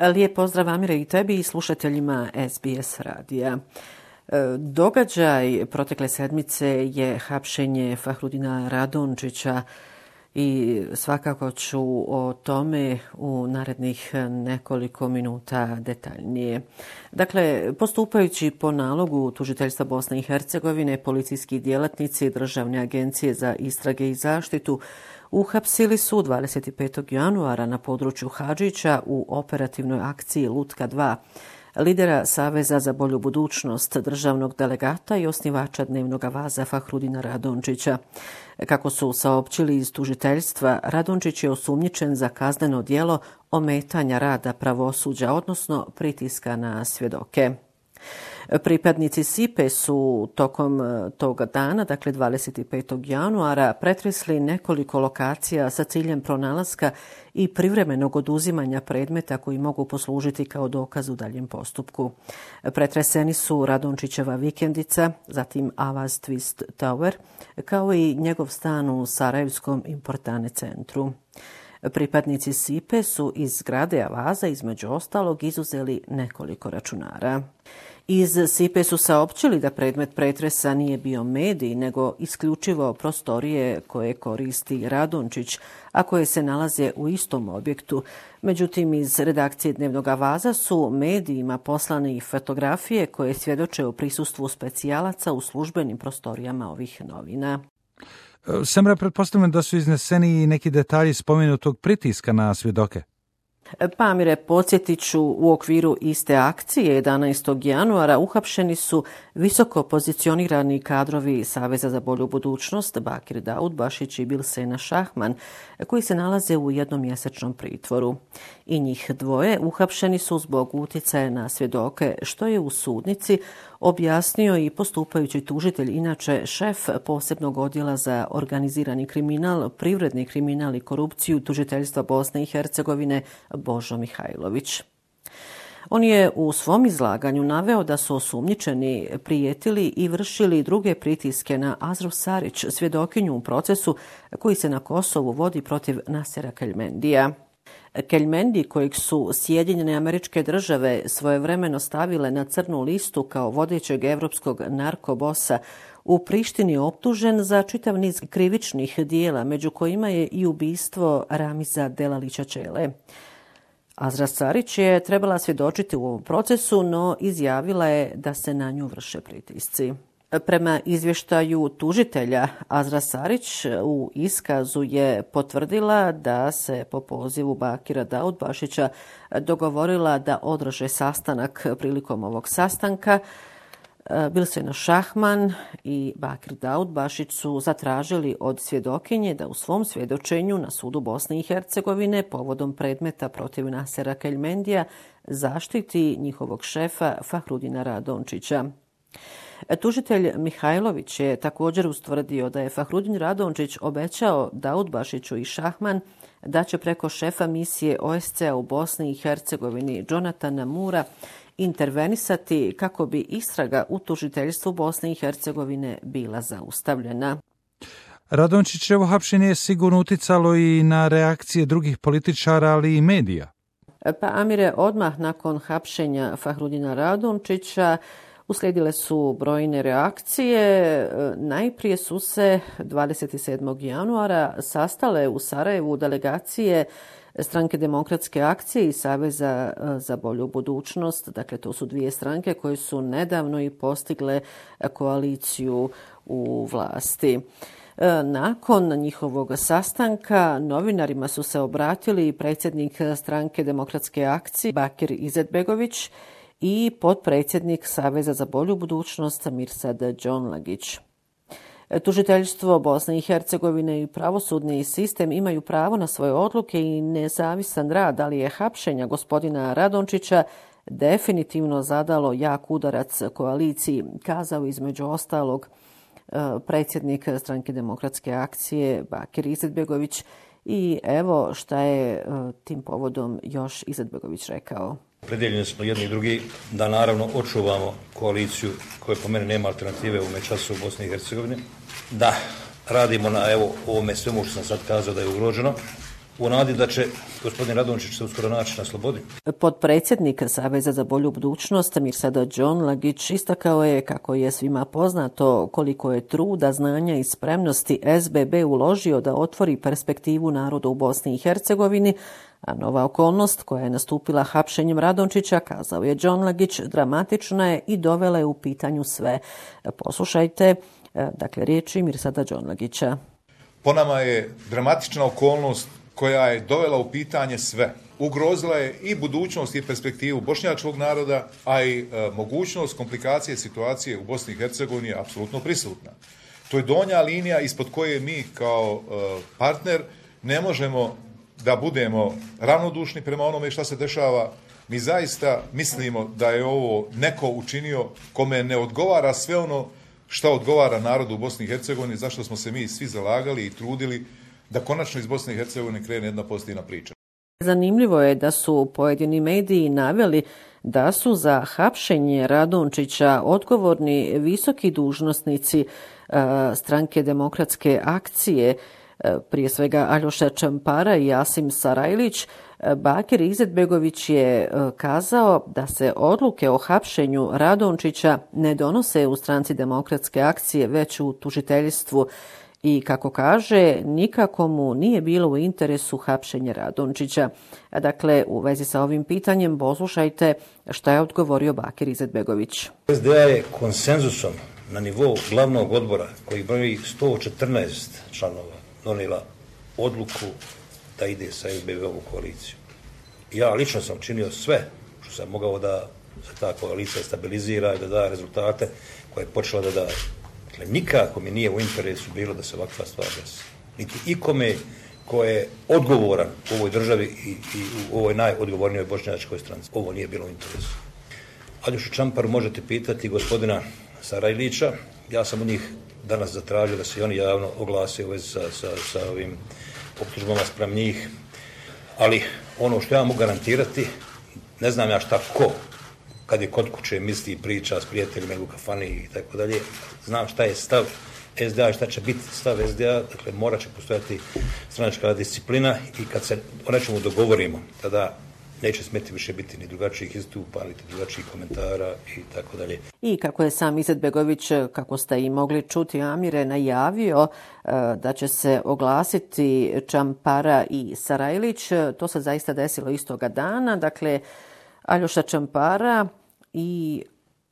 Lijep pozdrav, Amire, i tebi i slušateljima SBS radija. Događaj protekle sedmice je hapšenje Fahrudina Radončića i svakako ću o tome u narednih nekoliko minuta detaljnije. Dakle, postupajući po nalogu tužiteljstva Bosne i Hercegovine, policijski djelatnici Državne agencije za istrage i zaštitu uhapsili su 25. januara na području Hadžića u operativnoj akciji Lutka 2 lidera Saveza za bolju budućnost, državnog delegata i osnivača Dnevnog avaza Fahrudina Radončića. Kako su saopćili iz tužiteljstva, Radončić je osumnjičen za kazneno djelo ometanja rada pravosuđa, odnosno pritiska na svjedoke. Pripadnici SIPE su tokom toga dana, dakle 25. januara, pretresli nekoliko lokacija sa ciljem pronalaska i privremenog oduzimanja predmeta koji mogu poslužiti kao dokaz u daljem postupku. Pretreseni su Radončićeva vikendica, zatim Avaz Twist Tower, kao i njegov stan u Sarajevskom Importane centru. Pripadnici SIPE su iz zgrade Avaza između ostalog izuzeli nekoliko računara. Iz SIPE su saopćili da predmet pretresa nije bio medij, nego isključivo prostorije koje koristi Radončić, a koje se nalaze u istom objektu. Međutim, iz redakcije Dnevnog avaza su medijima poslane i fotografije koje svjedoče o prisustvu specijalaca u službenim prostorijama ovih novina. Samra, pretpostavljam da su izneseni i neki detalji spomenutog pritiska na svjedoke. Amire, podsjetit ću, u okviru iste akcije 11. januara uhapšeni su visoko pozicionirani kadrovi Saveza za bolju budućnost Bakir Daudbašić i Bilsena Šahman, koji se nalaze u jednomjesečnom pritvoru. I njih dvoje uhapšeni su zbog utjecaja na svjedoke, što je u sudnici objasnio i postupajući tužitelj, inače šef posebnog odjela za organizirani kriminal, privredni kriminal i korupciju tužiteljstva Bosne i Hercegovine Božo Mihajlović. On je u svom izlaganju naveo da su osumnjičeni prijetili i vršili druge pritiske na Azru Sarić, svjedokinju u procesu koji se na Kosovu vodi protiv Nasera Keljmendija. Keljmendi, kojeg su Sjedinjene Američke Države svojevremeno stavile na crnu listu kao vodećeg evropskog narkobosa, u Prištini optužen za čitav niz krivičnih dijela, među kojima je i ubistvo Ramiza Delalića Čele. Azra Sarić je trebala svjedočiti u ovom procesu, no izjavila je da se na nju vrše pritisci. Prema izvještaju tužitelja, Azra Sarić u iskazu je potvrdila da se po pozivu Bakira Daudbašića dogovorila da održe sastanak. Prilikom ovog sastanka Bilsena Šahman i Bakir Daudbašić su zatražili od svjedokinje da u svom svjedočenju na sudu Bosne i Hercegovine povodom predmeta protiv Nasera Keljmendija zaštiti njihovog šefa Fahrudina Radončića. Tužitelj Mihajlović je također ustvrdio da je Fahrudin Radončić obećao Daudbašiću i Šahman da će preko šefa misije OSCE u Bosni i Hercegovini Jonatana Mura intervenisati kako bi istraga u tužiteljstvu Bosne i Hercegovine bila zaustavljena. Radončićevo hapšenje je sigurno uticalo i na reakcije drugih političara, ali i medija. Pa Amire, odmah nakon hapšenja Fahrudina Radončića uslijedile su brojne reakcije. Najprije su se 27. januara sastale u Sarajevu delegacije Stranke demokratske akcije i Saveza za bolju budućnost. Dakle, to su dvije stranke koje su nedavno i postigle koaliciju u vlasti. Nakon njihovog sastanka novinarima su se obratili predsjednik Stranke demokratske akcije Bakir Izetbegović i potpredsjednik Saveza za bolju budućnost Mirsad Džonlagić. Tužiteljstvo Bosne i Hercegovine i pravosudni sistem imaju pravo na svoje odluke i nezavisan rad, ali je hapšenja gospodina Radončića definitivno zadalo jak udarac koaliciji, kazao između ostalog predsjednik Stranke demokratske akcije Bakir Izetbegović. I evo šta je tim povodom još Izetbegović rekao. Predjeljeni smo jedni i drugi da naravno očuvamo koaliciju koja po meni nema alternative u času u Bosni i Hercegovini. Da radimo na ovome svemu što sam sad kazao da je ugroženo u nadi da će gospodin Radončić se uskoro naći na slobodi. Potpredsjednik Saveza za bolju budućnost Mirsada Džonlagić istakao je kako je svima poznato koliko je truda, znanja i spremnosti SBB uložio da otvori perspektivu naroda u Bosni i Hercegovini, a nova okolnost koja je nastupila hapšenjem Radončića, kazao je Džonlagić, dramatična je i dovela je u pitanju sve. Poslušajte, riječi Mirsada Džonlagića. Po nama je dramatična okolnost koja je dovela u pitanje sve. Ugrozila je i budućnost i perspektivu bošnjačkog naroda, a i mogućnost komplikacije situacije u Bosni i Hercegovini je apsolutno prisutna. To je donja linija ispod koje mi kao partner ne možemo da budemo ravnodušni prema onome šta se dešava. Mi zaista mislimo da je ovo neko učinio kome ne odgovara sve ono šta odgovara narodu u Bosni i Hercegovini, zašto smo se mi svi zalagali i trudili da konačno iz Bosne i Hercegovine krene jedna pozitivna priča. Zanimljivo je da su pojedini mediji naveli da su za hapšenje Radončića odgovorni visoki dužnosnici stranke Demokratske akcije, prije svega Aljoša Čampara i Asim Sarajlić. Bakir Izetbegović je kazao da se odluke o hapšenju Radončića ne donose u stranci Demokratske akcije, već u tužiteljstvu. I kako kaže, nikako mu nije bilo u interesu hapšenje Radončića. Dakle, u vezi sa ovim pitanjem poslušajte šta je odgovorio Bakir Izetbegović. SDA je konsenzusom na nivou glavnog odbora, koji broji 114 članova, donijela odluku da ide sa SBB-om u koaliciju. Ja lično sam činio sve što sam mogao da se ta koalicija stabilizira i da da rezultate koje je počela da daje. Dakle, nikako mi nije u interesu bilo da se ovakva stvar desi. Niti ikome ko je odgovoran u ovoj državi i u ovoj najodgovornijoj bošnjačkoj stranci. Ovo nije bilo u interesu. Aljošu Čamparu možete pitati gospodina Sarajlića. Ja sam od njih danas zatražio da se oni javno oglase u vezi sa ovim optužbama spram njih. Ali ono što ja mogu garantirati, ne znam ja šta ko, kad je kod kuće misli i priča s prijateljima ili u kafani i tako dalje, znam šta je stav SDA i šta će biti stav SDA, dakle morat će postojati stranačka disciplina i kad se o nečemu dogovorimo, tada neće smjeti više biti ni drugačijih istupa, ni drugačijih komentara i tako dalje. I kako je sam Izetbegović, kako ste i mogli čuti, Amire, najavio da će se oglasiti Čampara i Sarajlić, to se zaista desilo istoga dana. Dakle, Aljoša Čampara i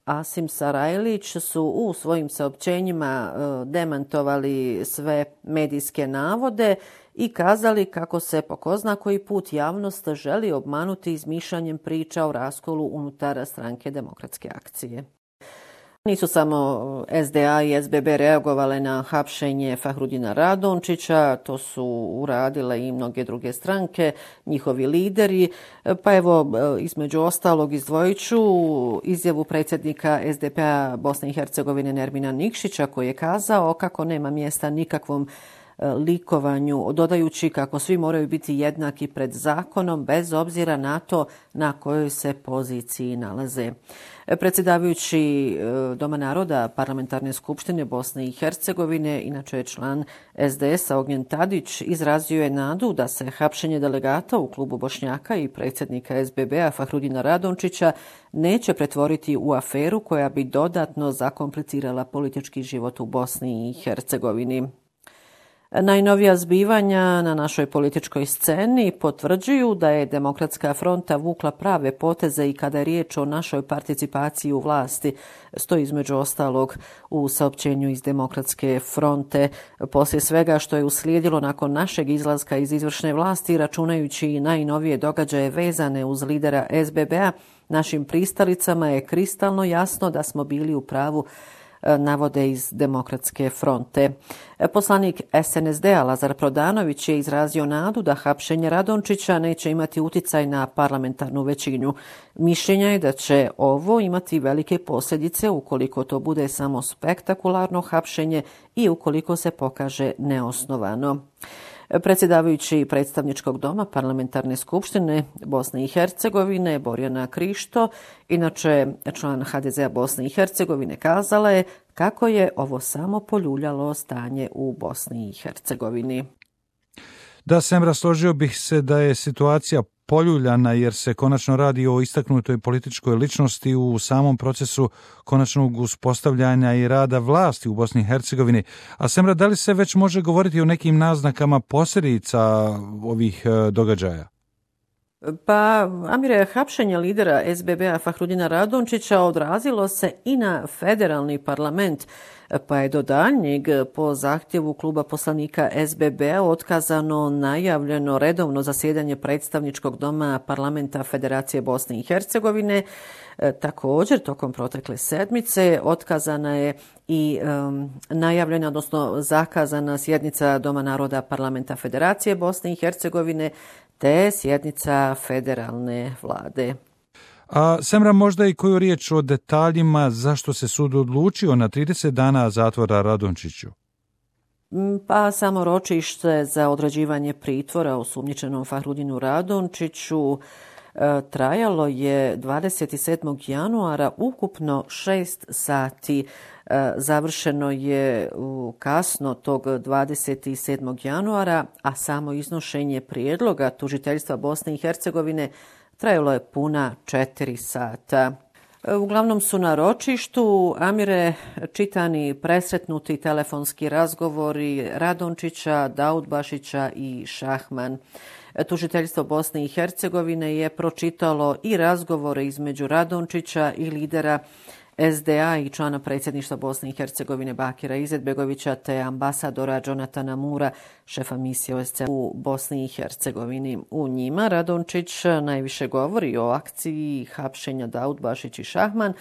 Asim Sarajlić su u svojim saopćenjima demantovali sve medijske navode i kazali kako se po ko zna koji put javnost želi obmanuti izmišljanjem priča o raskolu unutar stranke Demokratske akcije. Nisu samo SDA i SBB reagovale na hapšenje Fahrudina Radončića, to su uradile i mnoge druge stranke, njihovi lideri. Pa evo, između ostalog izdvojit ću izjavu predsjednika SDP-a Bosne i Hercegovine Nermina Nikšića, koji je kazao kako nema mjesta nikakvom likovanju, dodajući kako svi moraju biti jednaki pred zakonom bez obzira na to na kojoj se poziciji nalaze. Predsjedavajući Doma naroda Parlamentarne skupštine Bosne i Hercegovine, inače je član SDS-a Ognjen Tadić, izrazio je nadu da se hapšenje delegata u klubu Bošnjaka i predsjednika SBB-a Fahrudina Radončića neće pretvoriti u aferu koja bi dodatno zakomplicirala politički život u Bosni i Hercegovini. Najnovija zbivanja na našoj političkoj sceni potvrđuju da je Demokratska fronta vukla prave poteze i kada je riječ o našoj participaciji u vlasti, stoji između ostalog u saopćenju iz Demokratske fronte. Poslije svega što je uslijedilo nakon našeg izlaska iz izvršne vlasti, računajući i najnovije događaje vezane uz lidera SBB-a, našim pristalicama je kristalno jasno da smo bili u pravu, navode iz Demokratske fronte. Poslanik SNSD-a Lazar Prodanović je izrazio nadu da hapšenje Radončića neće imati uticaj na parlamentarnu većinu. Mišljenja je da će ovo imati velike posljedice ukoliko to bude samo spektakularno hapšenje i ukoliko se pokaže neosnovano. Predsjedavajući predstavničkog doma Parlamentarne skupštine Bosne i Hercegovine Borjana Krišto, inače član HDZ-a Bosne i Hercegovine, kazala je kako je ovo samo poljuljalo stanje u Bosni i Hercegovini. Da, Semra, složio bih se da je situacija poljuljana jer se konačno radi o istaknutoj političkoj ličnosti u samom procesu konačnog uspostavljanja i rada vlasti u Bosni i Hercegovini. A Semra, da li se već može govoriti o nekim naznakama posljedica ovih događaja? Pa, Amire, hapšenje lidera SBB-a Fahrudina Radončića odrazilo se i na federalni parlament, pa je do daljnjeg po zahtjevu kluba poslanika SBB-a otkazano najavljeno redovno zasjedanje predstavničkog doma parlamenta Federacije Bosne i Hercegovine. Također, tokom protekle sedmice otkazana je i najavljena, odnosno zakazana sjednica Doma naroda parlamenta Federacije Bosne i Hercegovine te sjednica federalne vlade. A Semra, možda i koju riječ o detaljima zašto se sud odlučio na 30 dana zatvora Radončiću? Pa samo ročište za određivanje pritvora osumnjičenom Fahrudinu Radončiću trajalo je 27. januara ukupno 6 sati. Završeno je kasno tog 27. januara, a samo iznošenje prijedloga tužiteljstva Bosne i Hercegovine trajalo je puna 4 sata. Uglavnom su na ročištu, Amire, čitani presretnuti telefonski razgovori Radončića, Daudbašića i Šahman. Tužiteljstvo Bosne i Hercegovine je pročitalo i razgovore između Radončića i lidera SDA i člana predsjedništva Bosne i Hercegovine Bakira Izetbegovića te ambasadora Jonatana Mura, šefa misije OSCE u Bosni i Hercegovini. U njima Radončić najviše govori o akciji hapšenja Daudbašić i Šahman,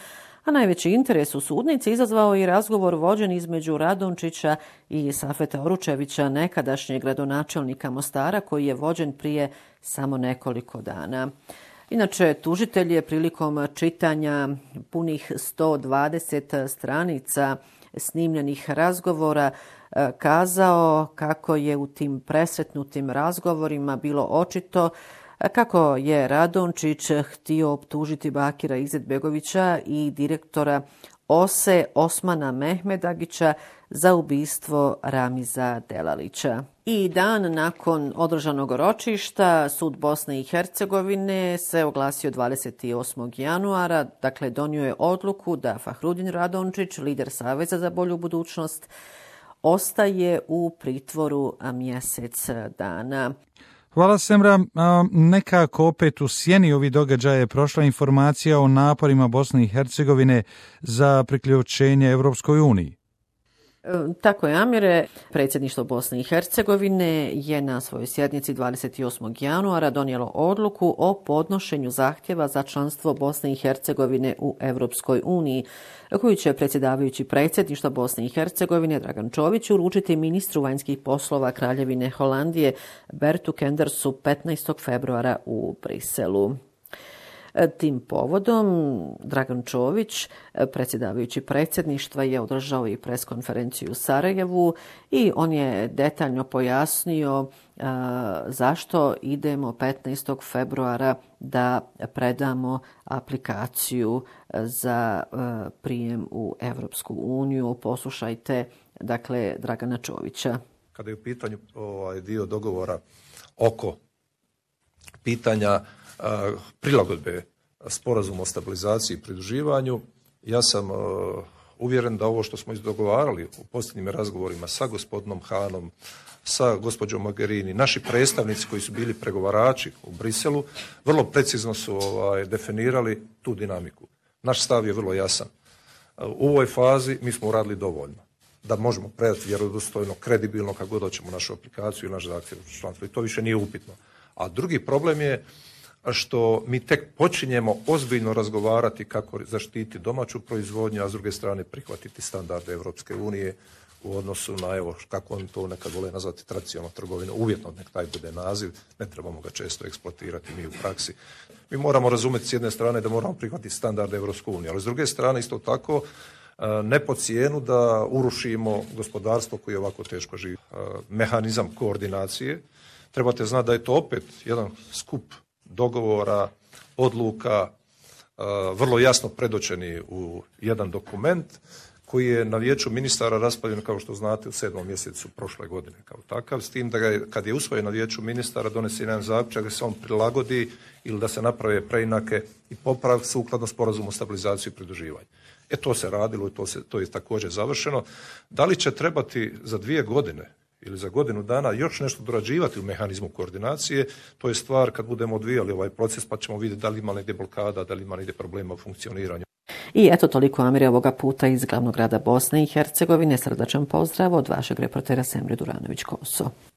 a najveći interes u sudnici izazvao i razgovor vođen između Radončića i Safeta Oručevića, nekadašnjeg gradonačelnika Mostara, koji je vođen prije samo nekoliko dana. Inače, tužitelj je prilikom čitanja punih 120 stranica snimljenih razgovora kazao kako je u tim presretnutim razgovorima bilo očito kako je Radončić htio optužiti Bakira Izetbegovića i direktora OSE Osmana Mehmedagića za ubistvo Ramiza Delalića. I dan nakon održanog ročišta sud Bosne i Hercegovine se oglasio 28. januara, dakle donio je odluku da Fahrudin Radončić, lider Saveza za bolju budućnost, ostaje u pritvoru mjesec dana. Hvala, Semra. Nekako opet u sjeni ovih događaja je prošla informacija o naporima Bosne i Hercegovine za priključenje Europskoj uniji. Tako je, Amire. Predsjedništvo Bosne i Hercegovine je na svojoj sjednici 28. januara donijelo odluku o podnošenju zahtjeva za članstvo Bosne i Hercegovine u Europskoj uniji, koju će predsjedavajući predsjedništva Bosne i Hercegovine Dragan Čović uručiti ministru vanjskih poslova Kraljevine Holandije Bertu Kendersu 15. februara u Briselu. Tim povodom Dragan Čović, predsjedavajući predsjedništva, je održao i preskonferenciju u Sarajevu i on je detaljno pojasnio zašto idemo 15. februara da predamo aplikaciju za prijem u Europsku uniju. Poslušajte, dakle, Dragana Čovića. Kada je u pitanju dio dogovora oko pitanja prilagodbe sporazumu o stabilizaciji i pridruživanju, ja sam uvjeren da ovo što smo izdogovarali u posljednjim razgovorima sa gospodinom Hanom, sa gospođom Mogherini, naši predstavnici koji su bili pregovarači u Briselu, vrlo precizno su definirali tu dinamiku. Naš stav je vrlo jasan. U ovoj fazi mi smo uradili dovoljno da možemo predati vjerodostojno, kredibilno kako god hoćemo našu aplikaciju i naš zahtjev članstva. I to više nije upitno. A drugi problem je što mi tek počinjemo ozbiljno razgovarati kako zaštiti domaću proizvodnju, a s druge strane prihvatiti standarde Europske unije u odnosu na, evo, kako oni to nekad vole nazvati, tradicionalnu trgovinu. Uvjetno nek taj bude naziv, ne trebamo ga često eksploatirati mi u praksi. Mi moramo razumjeti s jedne strane da moramo prihvatiti standarde Europske unije, ali s druge strane isto tako ne po cijenu da urušimo gospodarstvo koje ovako teško živi. Mehanizam koordinacije, trebate znati da je to opet jedan skup dogovora, odluka, vrlo jasno predočeni u jedan dokument koji je na vijeću ministara raspravljen, kao što znate, u 7. mjesecu prošle godine kao takav, s tim da kad je usvojen na vijeću ministara donese jedan zaključak da se on prilagodi ili da se naprave preinake i popravak sukladno sporazumu o stabilizaciji i pridruživanju. To se radilo i to je također završeno. Da li će trebati za 2 godine ili za godinu dana još nešto dorađivati u mehanizmu koordinacije, to je stvar kad budemo odvijali ovaj proces pa ćemo vidjeti da li ima negdje blokada, da li ima negdje problema u funkcioniranju. I eto toliko, Amire, ovoga puta iz glavnog grada Bosne i Hercegovine. Srdačan pozdrav od vašeg reportera Semre Duranović-Koso.